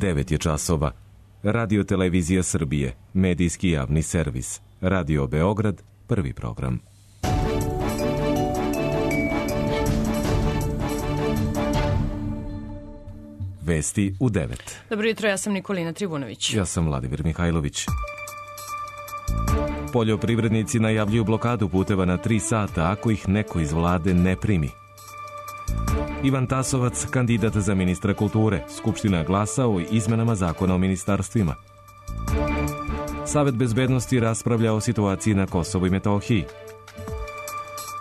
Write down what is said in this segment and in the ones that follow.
9 je časova. Radio Televizija Srbije, medijski javni servis. Radio Beograd, prvi program. Vesti u 9. Dobro jutro, ja sam Nikolina Trivunović. Ja sam Vladimir Mihajlović. Poljoprivrednici najavljuju blokadu puteva na 3 sata ako ih neko iz vlade ne primi. Ivan Tasovac, kandidat za ministra kulture. Skupština glasa o izmenama zakona o ministarstvima. Savet bezbednosti raspravlja o situaciji na Kosovu i Metohiji.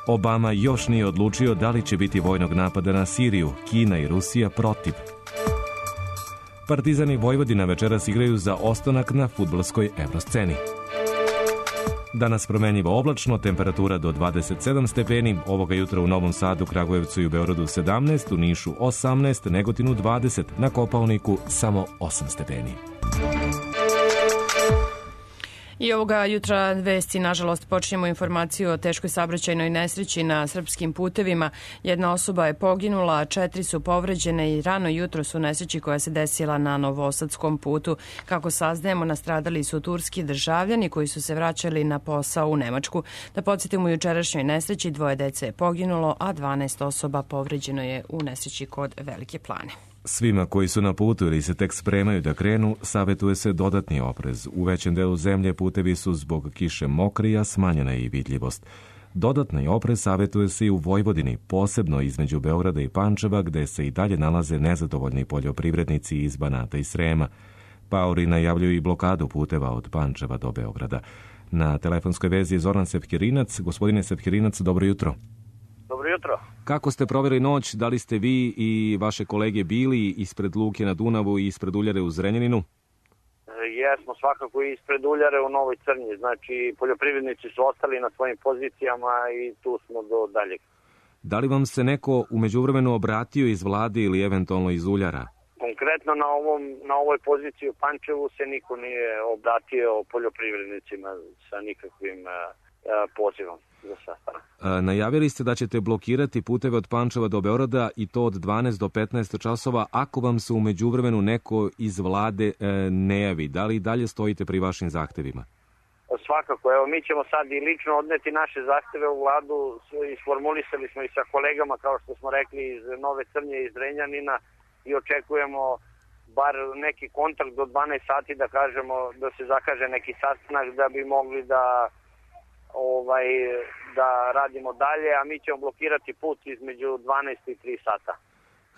Obama još nije odlučio da li će biti vojnog napada na Siriju. Kina i Rusija protiv. Partizani Vojvodina večeras igraju za ostanak na fudbalskoj evrosceni. Danas promenljivo oblačno, temperatura do 27 stepeni, ovoga jutra u Novom Sadu, Kragujevcu i u Beogradu 17, u Nišu 18, Negotinu 20, na Kopaoniku samo 8 stepeni. I ovoga jutra vesti, nažalost, počinjemo informaciju o teškoj saobraćajnoj nesreći na srpskim putevima. Jedna osoba je poginula, 4 su povređene i rano jutro su nesreći koja se desila na Novosadskom putu. Kako saznajemo, nastradali su turski državljani koji su se vraćali na posao u Nemačku. Da podsjetimo, u jučerašnjoj nesreći 2 dece je poginulo, a 12 osoba povređeno je u nesreći kod Velike Plane. Svima koji su na putu ili se tek spremaju da krenu, savjetuje se dodatni oprez. U većem delu zemlje putevi su zbog kiše mokri, a smanjena je i vidljivost. Dodatni oprez savjetuje se i u Vojvodini, posebno između Beograda i Pančeva, gde se i dalje nalaze nezadovoljni poljoprivrednici iz Banata i Srema. Paori najavljuju i blokadu puteva od Pančeva do Beograda. Na telefonskoj vezi je Zoran Sepkirinac. Gospodine Sepkirinac, dobro jutro. Dobro jutro. Kako ste proveli noć? Da li ste vi i vaše kolege bili ispred Luke na Dunavu i ispred Uljare u Zrenjaninu? Jesmo svakako ispred Uljare u Novoj Crnji. Znači, poljoprivrednici su ostali na svojim pozicijama i tu smo do daljeg. Da li vam se neko u međuvremenu obratio iz vlade ili eventualno iz Uljara? Konkretno na ovoj poziciji u Pančevu se niko nije obratio poljoprivrednicima sa nikakvim pozivom. Najavili ste da ćete blokirati puteve od Pančeva do Beograda i to od 12 do 15 časova ako vam se u međuvremenu neko iz vlade ne javi. Da li i dalje stojite pri vašim zahtevima? Svakako. Evo, mi ćemo sad i lično odneti naše zahteve u vladu. Isformulisali smo i sa kolegama, kao što smo rekli, iz Nove Crnje i iz Zrenjanina i očekujemo bar neki kontakt do 12 sati da kažemo, da se zakaže neki sastanak da bi mogli da radimo dalje, a mi ćemo blokirati put između 12 i 3 sata.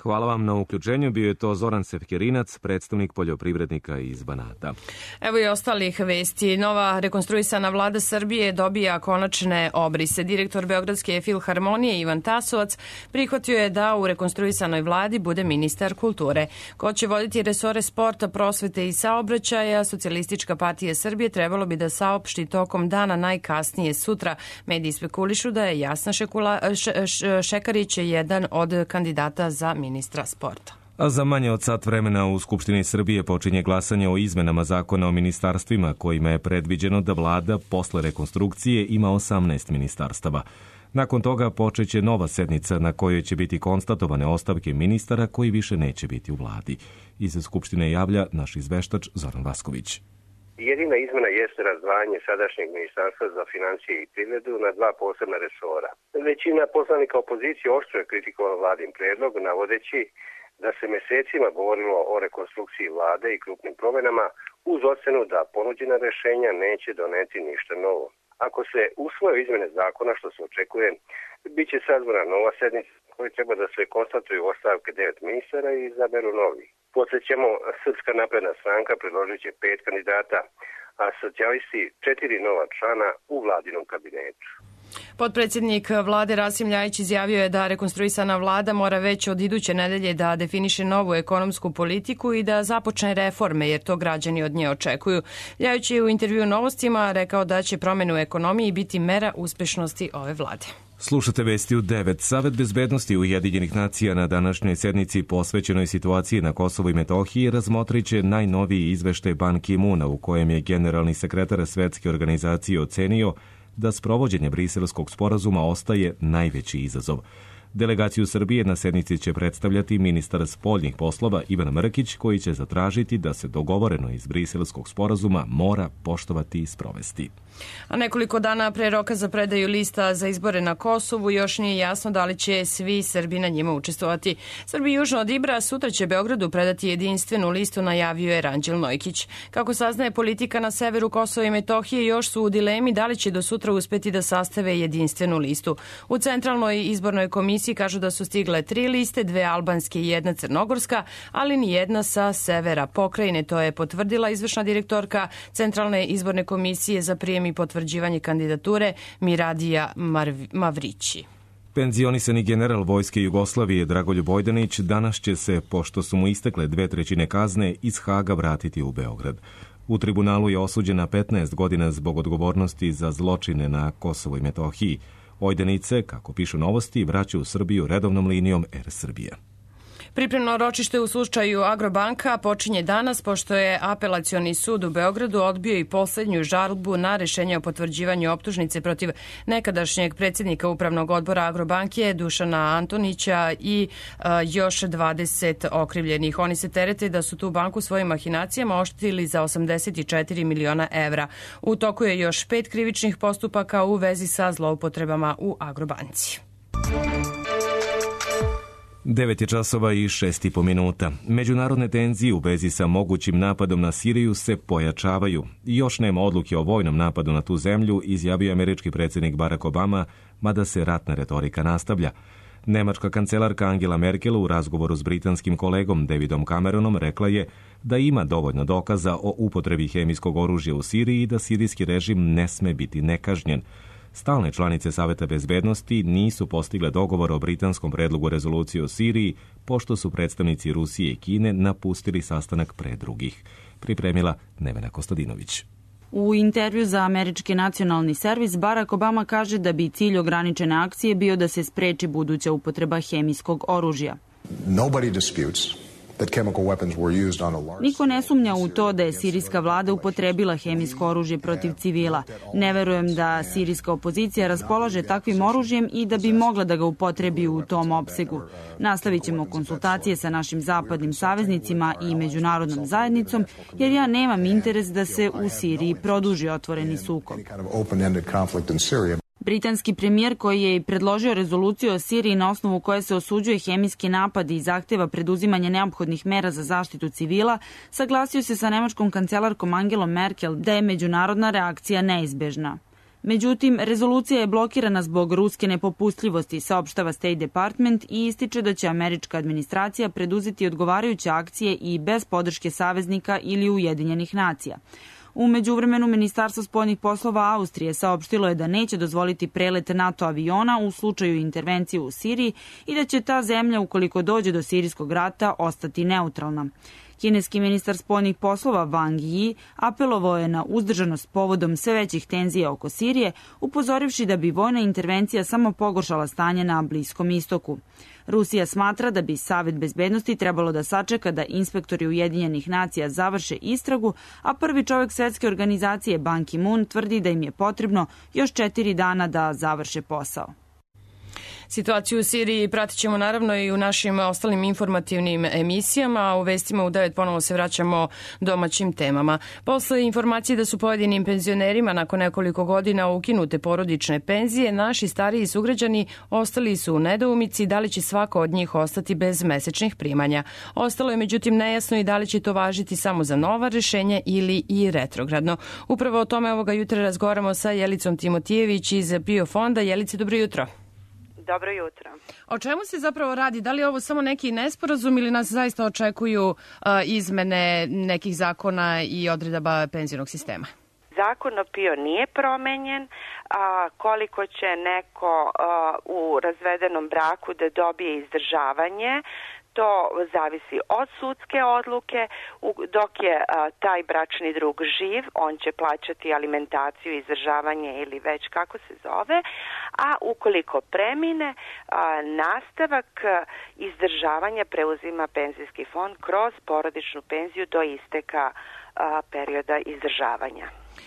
Hvala vam na uključenju. Bio je to Zoran Sepkirinac, predstavnik poljoprivrednika iz Banata. Evo i ostalih vesti. Nova rekonstruisana vlada Srbije dobija konačne obrise. Direktor Beogradske filharmonije Ivan Tasovac prihvatio je da u rekonstruisanoj vladi bude ministar kulture. Ko će voditi resore sporta, prosvete i saobraćaja, Socijalistička partija Srbije trebalo bi da saopšti tokom dana, najkasnije sutra. Mediji spekulišu da je Jasna Šekarić jedan od kandidata za ministra sporta. A za manje od sat vremena u Skupštini Srbije počinje glasanje o izmenama zakona o ministarstvima, kojima je predviđeno da vlada posle rekonstrukcije ima 18 ministarstava. Nakon toga počeće nova sednica na kojoj će biti konstatovane ostavke ministara koji više neće biti u vladi. Iz Skupštine javlja naš izveštač Zoran Vasković. Jedina izmena jeste razdvajanje sadašnjeg ministarstva za financije i privredu na 2 posebna resora. Većina poslanika opozicije oštro je kritikovala vladin predlog, navodeći da se mesecima govorilo o rekonstrukciji vlade i krupnim promenama uz ocenu da ponuđena rešenja neće doneti ništa novo. Ako se usvoje izmene zakona, što se očekuje, bit će sazvana nova sednica koji treba da se konstatuju ostavke 9 ministara i izaberu novi. Podsjećamo, Srpska napredna stranka predložit će 5 kandidata, a socijalisti 4 nova člana u vladinom kabinetu. Potpredsjednik vlade Rasim Ljajić izjavio je da rekonstruisana vlada mora već od iduće nedelje da definiše novu ekonomsku politiku i da započne reforme, jer to građani od nje očekuju. Ljajić je u intervju Novostima rekao da će promjene u ekonomiji biti mera uspešnosti ove vlade. Slušate vesti u 9. Savet bezbednosti Ujedinjenih nacija na današnjoj sednici posvećenoj situaciji na Kosovu i Metohiji razmotrit će najnoviji izveštaj Ban Ki-moona u kojem je generalni sekretar Svetske organizacije ocenio da sprovođenje Briselskog sporazuma ostaje najveći izazov. Delegaciju Srbije na sednici će predstavljati ministar spoljnih poslova Ivan Mrkić, koji će zatražiti da se dogovoreno iz Briselskog sporazuma mora poštovati i sprovesti. A nekoliko dana pre roka za predaju lista za izbore na Kosovu još nije jasno da li će svi Srbi na njima učestvovati. Srbi južno od Ibra sutra će Beogradu predati jedinstvenu listu, najavio je Ranđel Nojkić. Kako saznaje politika na severu Kosova i Metohije, još su u dilemi da li će do sutra uspeti da sastave jedinstvenu listu. U Centralnoj izbornoj komisiji kažu da su stigle 3 liste, 2 albanske i 1 crnogorska, ali ni jedna sa severa pokrajine. To je potvrdila izvršna direktorka Centralne izborne komisije za prijem i potvrđivanje kandidature Miradija Mavrići. Penzionisani general Vojske Jugoslavije Dragoljub Vojdanić danas će se, pošto su mu istekle 2/3 kazne, iz Haga vratiti u Beograd. U tribunalu je osuđen na 15 godina zbog odgovornosti za zločine na Kosovu i Metohiji. Vojdanić se, kako pišu Novosti, vraća u Srbiju redovnom linijom Air Srbije. Pripremno ročište u slučaju Agrobanka počinje danas, pošto je Apelacioni sud u Beogradu odbio i poslednju žalbu na rešenje o potvrđivanju optužnice protiv nekadašnjeg predsjednika Upravnog odbora Agrobanke Dušana Antonića i još 20 okrivljenih. Oni se terete da su tu banku svojim mahinacijama oštetili za 84 miliona evra. U toku je još 5 krivičnih postupaka u vezi sa zloupotrebama u Agrobanci. 9 časova i 6,5 minuta. Međunarodne tenzije u vezi sa mogućim napadom na Siriju se pojačavaju. Još nema odluke o vojnom napadu na tu zemlju, izjavio američki predsjednik Barack Obama, mada se ratna retorika nastavlja. Nemačka kancelarka Angela Merkel u razgovoru s britanskim kolegom Davidom Cameronom rekla je da ima dovoljno dokaza o upotrebi hemijskog oružja u Siriji i da sirijski režim ne sme biti nekažnjen. Stalne članice Saveta bezbednosti nisu postigle dogovor o britanskom predlogu rezolucije o Siriji, pošto su predstavnici Rusije i Kine napustili sastanak pre drugih. Pripremila Nevena Kostadinović. U intervju za američki nacionalni servis Barack Obama kaže da bi cilj ograničene akcije bio da se spreči buduća upotreba hemijskog oružja. Niko ne sumnja u to da je sirijska vlada upotrebila hemijsko oružje protiv civila. Ne verujem da sirijska opozicija raspolaže takvim oružjem i da bi mogla da ga upotrebi u tom opsegu. Nastavit ćemo konsultacije sa našim zapadnim saveznicima i međunarodnom zajednicom, jer ja nemam interes da se u Siriji produži otvoreni sukob. Britanski premijer, koji je i predložio rezoluciju o Siriji na osnovu koje se osuđuje hemijski napad i zahteva preduzimanje neophodnih mera za zaštitu civila, saglasio se sa nemačkom kancelarkom Angelom Merkel da je međunarodna reakcija neizbežna. Međutim, rezolucija je blokirana zbog ruske nepopustljivosti, saopštava State Department i ističe da će američka administracija preduzeti odgovarajuće akcije i bez podrške saveznika ili Ujedinjenih nacija. U međuvremenu, Ministarstvo spoljnih poslova Austrije saopštilo je da neće dozvoliti prelet NATO aviona u slučaju intervencije u Siriji i da će ta zemlja, ukoliko dođe do sirijskog rata, ostati neutralna. Kineski ministar spoljnih poslova Wang Yi apelovao je na uzdržanost povodom sve većih tenzija oko Sirije, upozorivši da bi vojna intervencija samo pogoršala stanje na Bliskom istoku. Rusija smatra da bi Savet bezbednosti trebalo da sačeka da inspektori Ujedinjenih nacija završe istragu, a prvi čovjek svetske organizacije Ban Ki-moon tvrdi da im je potrebno još 4 dana da završe posao. Situaciju u Siriji pratit ćemo naravno i u našim ostalim informativnim emisijama, a u vestima u 9 ponovo se vraćamo domaćim temama. Posle informacije da su pojedinim penzionerima nakon nekoliko godina ukinute porodične penzije, naši stariji sugrađani ostali su u nedoumici da li će svako od njih ostati bez mesečnih primanja. Ostalo je međutim nejasno i da li će to važiti samo za nova rešenja ili i retrogradno. Upravo o tome ovoga jutra razgovaramo sa Jelicom Timotijević iz PIO fonda. Jelice, dobro jutro. Dobro jutro. O čemu se zapravo radi? Da li je ovo samo neki nesporazum ili nas zaista očekuju izmene nekih zakona i odredaba penzionog sistema? Zakon o PIO nije promenjen. Koliko će neko u razvedenom braku da dobije izdržavanje, to zavisi od sudske odluke. Dok je taj bračni drug živ, on će plaćati alimentaciju, izdržavanje ili već kako se zove, a ukoliko premine, nastavak izdržavanja preuzima penzijski fond kroz porodičnu penziju do isteka perioda izdržavanja.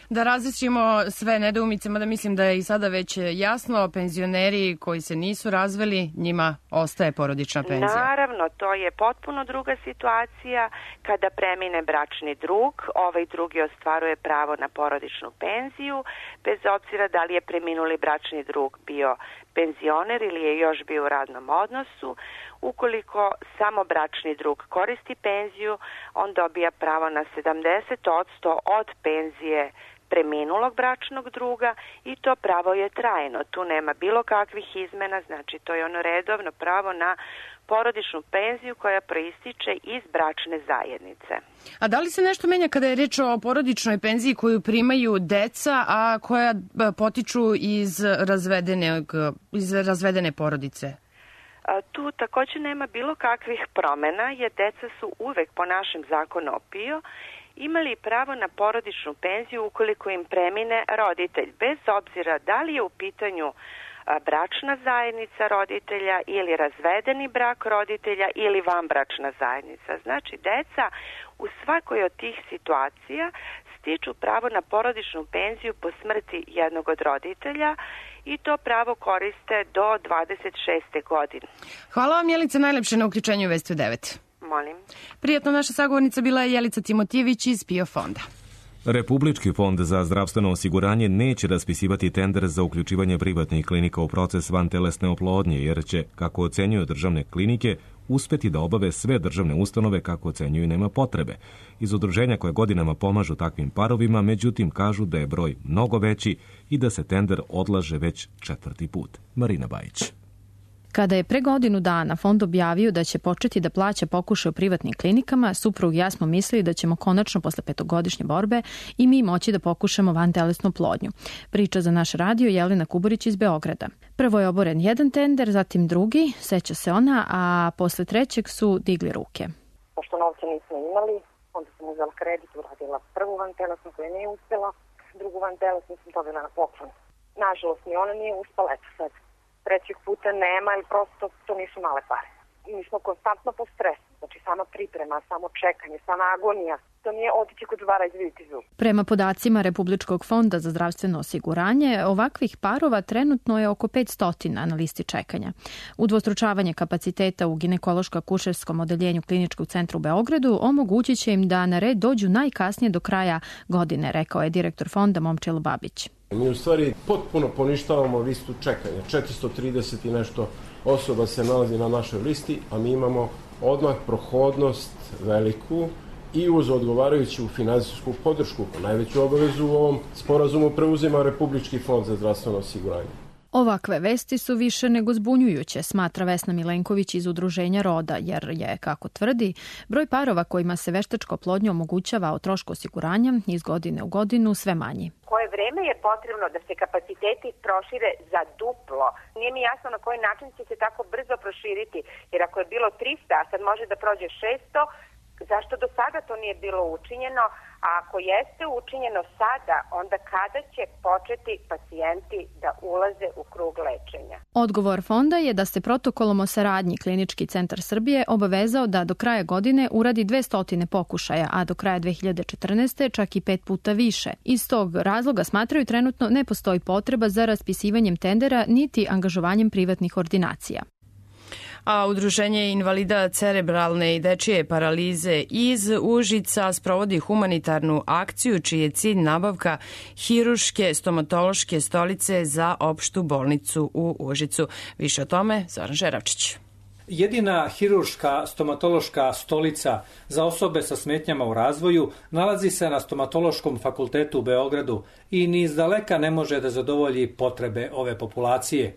Da različimo sve nedoumice, mada mislim da je i sada već jasno, penzioneri koji se nisu razveli, njima ostaje porodična penzija. Naravno, to je potpuno druga situacija. Kada premine bračni drug, ovaj drugi ostvaruje pravo na porodičnu penziju, bez obzira da li je preminuli bračni drug bio penzioner ili je još bio u radnom odnosu. Ukoliko samo bračni drug koristi penziju, on dobija pravo na 70% od penzije preminulog bračnog druga i to pravo je trajno. Tu nema bilo kakvih izmena, znači to je ono redovno pravo na porodičnu penziju koja proističe iz bračne zajednice. A da li se nešto menja kada je reč o porodičnoj penziji koju primaju deca, a koja potiču iz razvedene porodice? Tu također nema bilo kakvih promena, jer deca su uvek po našem zakonu o PIO imali pravo na porodičnu penziju ukoliko im premine roditelj, bez obzira da li je u pitanju bračna zajednica roditelja ili razvedeni brak roditelja ili vanbračna zajednica. Znači, deca u svakoj od tih situacija stiču pravo na porodičnu penziju po smrti jednog od roditelja i to pravo koriste do 26. godine. Hvala vam, Jelica, najlepše na uključenju u Vesti u 9. Molim. Prijatno, naša sagovornica bila je Jelica Timotijević iz PIO fonda. Republički fond za zdravstveno osiguranje neće raspisivati tender za uključivanje privatnih klinika u proces vantelesne oplodnje, jer će, kako ocenjuju državne klinike, uspeti da obave sve državne ustanove kako ocenjuju nema potrebe. Iz udruženja koje godinama pomažu takvim parovima, međutim, kažu da je broj mnogo veći i da se tender odlaže već 4. put. Marina Bajić. Kada je pre godinu dana fond objavio da će početi da plaća pokušaj u privatnim klinikama, suprug i ja smo mislili da ćemo konačno posle 5-godišnje borbe i mi moći da pokušamo vantelesnu oplodnju. Priča za naš radio Jelena Kuburić iz Beograda. Prvo je oboren jedan tender, zatim drugi, seća se ona, a posle trećeg su digli ruke. Pošto novca nismo imali, onda sam uzela kredit, uradila prvu vantelesnu koja nije uspela, drugu vantelesnu sam dobila na poklon. Nažalost, ni ona nije uspela, eto sad. Trećeg puta nema, ili prosto to nisu male pare. Mi smo konstantno po stresu, znači sama priprema, samo čekanje, sama agonija. To nije otići kod zubara i izviditi zub. Prema podacima Republičkog fonda za zdravstveno osiguranje, ovakvih parova trenutno je oko 500 na listi čekanja. Udvostručavanje kapaciteta u ginekološko-akušerskom odeljenju Kliničkog centra u Beogradu omogućit će im da na red dođu najkasnije do kraja godine, rekao je direktor fonda Momčilo Babić. Mi u stvari potpuno poništavamo listu čekanja. 430 i nešto osoba se nalazi na našoj listi, a mi imamo odmah prohodnost veliku i uz odgovarajuću finansijsku podršku. Najveću obavezu u ovom sporazumu preuzima Republički fond za zdravstveno osiguranje. Ovakve vesti su više nego zbunjujuće, smatra Vesna Milenković iz Udruženja Roda, jer je, kako tvrdi, broj parova kojima se veštačka oplodnja omogućava o trošku osiguranja iz godine u godinu sve manji. Koje vreme je potrebno da se kapaciteti prošire za duplo? Nije mi jasno na koji način će se tako brzo proširiti, jer ako je bilo 300, a sad može da prođe 600, zašto do sada to nije bilo učinjeno? A ako jeste učinjeno sada, onda kada će početi pacijenti da ulaze u krug lečenja? Odgovor fonda je da se protokolom o saradnji Klinički centar Srbije obavezao da do kraja godine uradi 200 pokušaja, a do kraja 2014. čak i 5 puta više. Iz tog razloga smatraju trenutno ne postoji potreba za raspisivanjem tendera niti angažovanjem privatnih ordinacija. A Udruženje invalida cerebralne i dečije paralize iz Užica sprovodi humanitarnu akciju čiji je cilj nabavka hiruške stomatološke stolice za opštu bolnicu u Užicu. Više o tome Zoran Žeravčić. Jedina hiruška stomatološka stolica za osobe sa smetnjama u razvoju nalazi se na Stomatološkom fakultetu u Beogradu i ni izdaleka ne može da zadovolji potrebe ove populacije.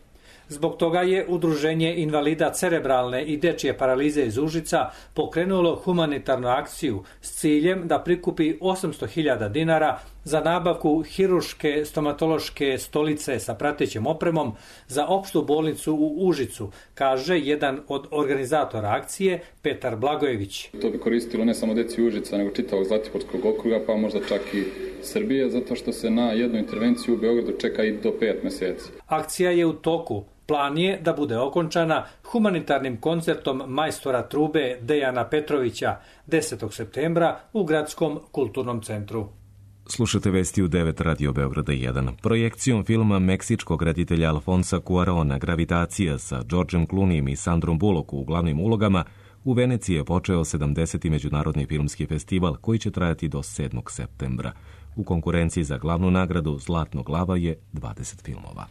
Zbog toga je Udruženje invalida cerebralne i dečije paralize iz Užica pokrenulo humanitarnu akciju s ciljem da prikupi 800.000 dinara za nabavku hiruške stomatološke stolice sa pratećom opremom za opštu bolnicu u Užicu, kaže jedan od organizatora akcije, Petar Blagojević. To bi koristilo ne samo deci Užica, nego čitavog Zlatiborskog okruga, pa možda čak i Srbije, zato što se na jednu intervenciju u Beogradu čeka i do 5 meseci. Akcija je u toku. Plan je da bude okončana humanitarnim koncertom majstora trube Dejana Petrovića 10. septembra u Gradskom kulturnom centru. Slušate vesti u 9 Radio Beograda 1. Projekcijom filma meksičkog reditelja Alfonsa Cuarona Gravitacija sa Georgeom Clooneyem i Sandrom Bullock u glavnim ulogama u Veneciji je počeo 70. međunarodni filmski festival koji će trajati do 7. septembra. U konkurenciji za glavnu nagradu Zlatnog lava je 20 filmova.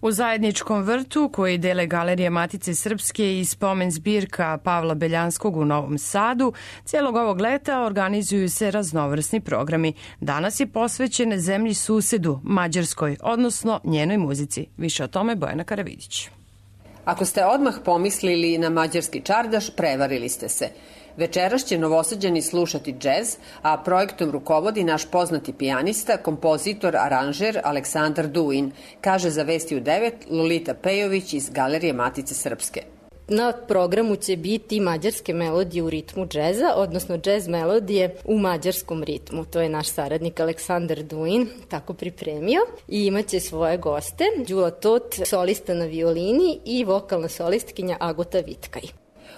U zajedničkom vrtu koji dele Galerije Matice Srpske i spomen zbirka Pavla Beljanskog u Novom Sadu, cijelog ovog leta organizuju se raznovrsni programi. Danas je posvećen zemlji susedu, Mađarskoj, odnosno njenoj muzici. Više o tome Bojana Karavidić. Ako ste odmah pomislili na mađarski čardaš, prevarili ste se. Večeras će Novosađani slušati džez, a projektom rukovodi naš poznati pijanista, kompozitor, aranžer Aleksandar Duin, kaže za Vesti u 9 Lolita Pejović iz Galerije Matice Srpske. Na programu će biti mađarske melodije u ritmu džeza, odnosno džez melodije u mađarskom ritmu. To je naš saradnik Aleksandar Duin tako pripremio i imaće svoje goste, Đula Tot, solista na violini i vokalna solistkinja Agota Vitkaj.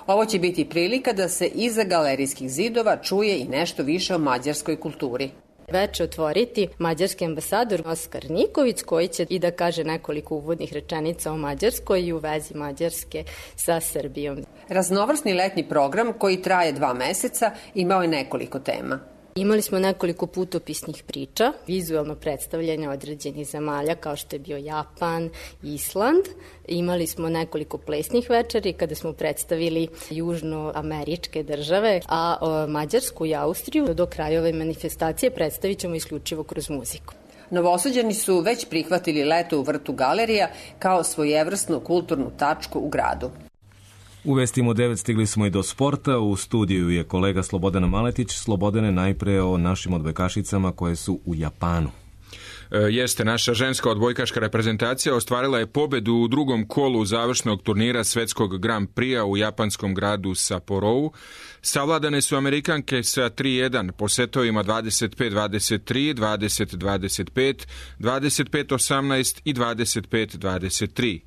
Ovo će biti prilika da se iza galerijskih zidova čuje i nešto više o mađarskoj kulturi. Veče otvoriti mađarski ambasador Oskar Niković, koji će i da kaže nekoliko uvodnih rečenica o Mađarskoj i u vezi Mađarske sa Srbijom. Raznovrsni letnji program koji traje 2 meseca imao je nekoliko tema. Imali smo nekoliko putopisnih priča, vizualno predstavljanje određenih zemalja kao što je bio Japan, Island. Imali smo nekoliko plesnih večeri kada smo predstavili južnoameričke države, a Mađarsku i Austriju do kraja ove manifestacije predstavit ćemo isključivo kroz muziku. Novosađani su već prihvatili leto u vrtu galerija kao svojevrsnu kulturnu tačku u gradu. U Vestima 9 stigli smo i do sporta. U studiju je kolega Slobodan Maletić. Slobodane, najpre o našim odbojkašicama koje su u Japanu. Jeste, naša ženska odbojkaška reprezentacija ostvarila je pobedu u drugom kolu završnog turnira svetskog Grand Prix-a u japanskom gradu Sapporovu. Savladane su Amerikanke sa 3-1 po setovima 25-23, 20-25, 25-18 i 25-23.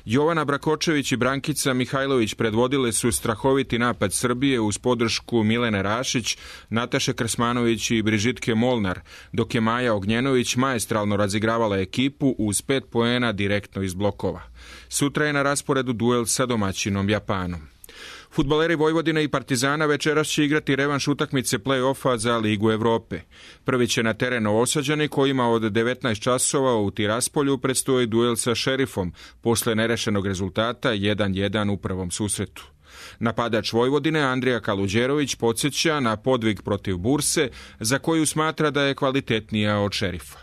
Jovana Brakočević i Brankica Mihajlović predvodile su strahoviti napad Srbije uz podršku Milene Rašić, Nataše Krsmanović i Brižitke Molnar, dok je Maja Ognjenović maestralno razigravala ekipu uz 5 poena direktno iz blokova. Sutra je na rasporedu duel sa domaćinom Japanom. Fudbaleri Vojvodine i Partizana večeras će igrati revanš utakmice play-offa za Ligu Evrope. Prvi će na teren Novosađani kojima od 19 časova u Tiraspolju predstoji duel sa Šerifom posle nerešenog rezultata 1-1 u prvom susretu. Napadač Vojvodine Andrija Kaluđerović podsjeća na podvig protiv Burse za koju smatra da je kvalitetnija od Šerifa.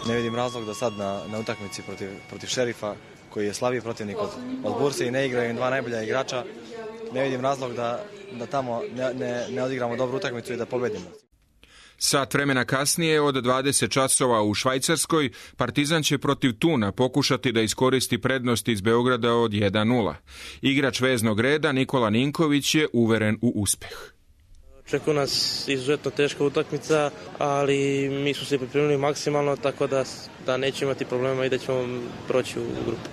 Ne vidim razlog da sad na utakmici protiv Šerifa koji je slabiji protivnik od Burse i ne igraju 2 najbolja igrača. Ne vidim razlog da tamo ne odigramo dobru utakmicu i da pobedimo. Sat vremena kasnije od 20 časova u Švajcarskoj Partizan će protiv Tuna pokušati da iskoristi prednost iz Beograda od 1-0. Igrač veznog reda Nikola Ninković je uveren u uspeh. Očekuje nas izuzetno teška utakmica, ali mi smo se pripremili maksimalno, tako da nećemo imati problema i da ćemo proći u grupu.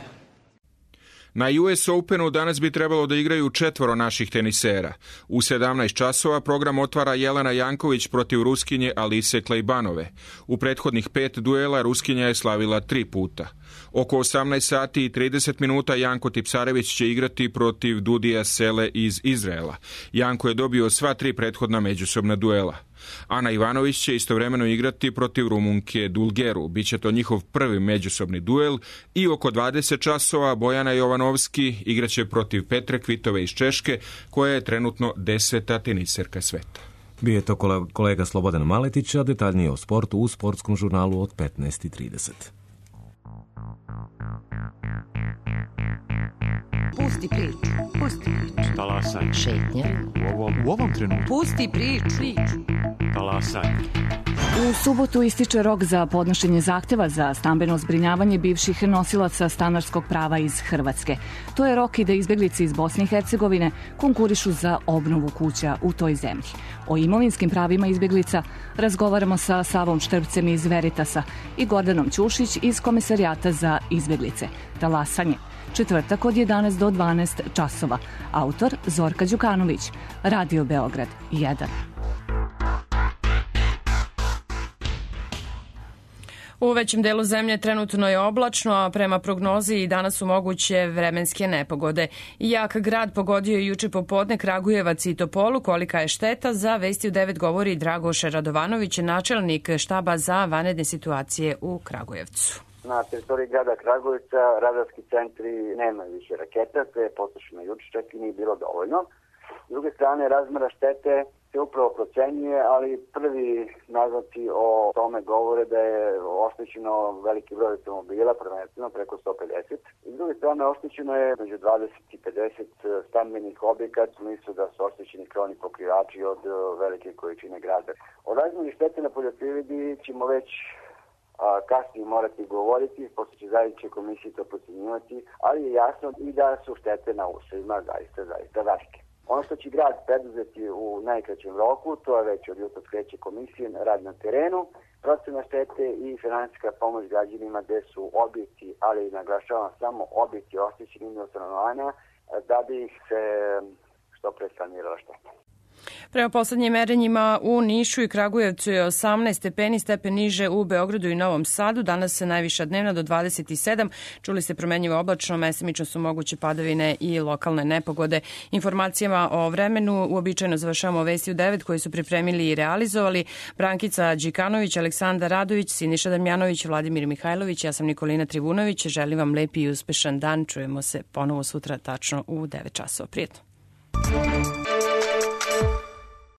Na US Openu danas bi trebalo da igraju 4 naših tenisera. U 17 časova program otvara Jelena Janković protiv Ruskinje Alise Klejbanove. U prethodnih 5 duela Ruskinja je slavila 3 puta. Oko 18 sati i 30 minuta Janko Tipsarević će igrati protiv Dudija Sele iz Izraela. Janko je dobio sva 3 prethodna međusobna duela. Ana Ivanović će istovremeno igrati protiv Rumunke Dulgeru. Biće to njihov prvi međusobni duel i oko 20 časova Bojana Jovanovski igraće protiv Petre Kvitove iz Češke, koja je trenutno 10. teniserka sveta. Bio je to kolega Slobodan Maletić, a detaljnije o sportu u sportskom žurnalu od 15:30. Pusti priču. Pusti priču. Talasaj. Šetnja. U ovom trenutku. Pusti priču. Talasaj. U subotu ističe rok za podnošenje zahteva za stambeno zbrinjavanje bivših nosilaca stanarskog prava iz Hrvatske. To je rok i da izbeglice iz Bosne i Hercegovine konkurišu za obnovu kuća u toj zemlji. O imovinskim pravima izbeglica razgovaramo sa Savom Štrpcem iz Veritasa i Gordanom Ćušić iz Komisarijata za izbeglice. Talasanje. Četvrtak od 11 do 12 časova. Autor Zorka Đukanović. Radio Beograd 1. U većem delu zemlje trenutno je oblačno, a prema prognozi i danas su moguće vremenske nepogode. Jak grad pogodio je juče popodne Kragujevac i Topolu. Kolika je šteta? Za Vesti u 9 govori Dragoš Radovanović, načelnik štaba za vanredne situacije u Kragujevcu. Na teritoriji grada Kragujevca radarski centri nemaju više raketa, sve je potrošeno juče, čak i nije bilo dovoljno. S druge strane, razmera štete se upravo procenjuje, ali prvi naznaci o tome govore da je oštećeno veliki broj automobila, prvenstveno preko 150. I s druge strane, oštećeno je među 20 i 50 stambenih objekata, u smislu da su oštećeni krovni pokrivači od velike količine grada. O razmeri štete na poljoprivredi ćemo već kasnije morati govoriti, pošto će zajedničke komisije to procenjivati, ali je jasno i da su štete na usevima zaista velike. Ono što će grad preduzeti u najkraćem roku, to je već od jutra kreće komisije, rad na terenu, procena štete i finansijska pomoć građanima gde su objekti, ali naglašavam samo objekti oštećeni do stanovanja, da bi ih se što pre sanirala šteta. Prema poslednjim merenjima u Nišu i Kragujevcu je 18 stepeni, stepen niže u Beogradu i Novom Sadu. Danas se najviša dnevna do 27. Čuli ste promenljivo oblačno, mesemično su moguće padavine i lokalne nepogode. Informacijama o vremenu uobičajeno završavamo Vesti u 9 koji su pripremili i realizovali Brankica Đikanović, Aleksandar Radović, Siniša Damjanović, Vladimir Mihajlović. Ja sam Nikolina Trivunović. Želim vam lepi i uspešan dan. Čujemo se ponovo sutra tačno u 9 časova. Prijetno.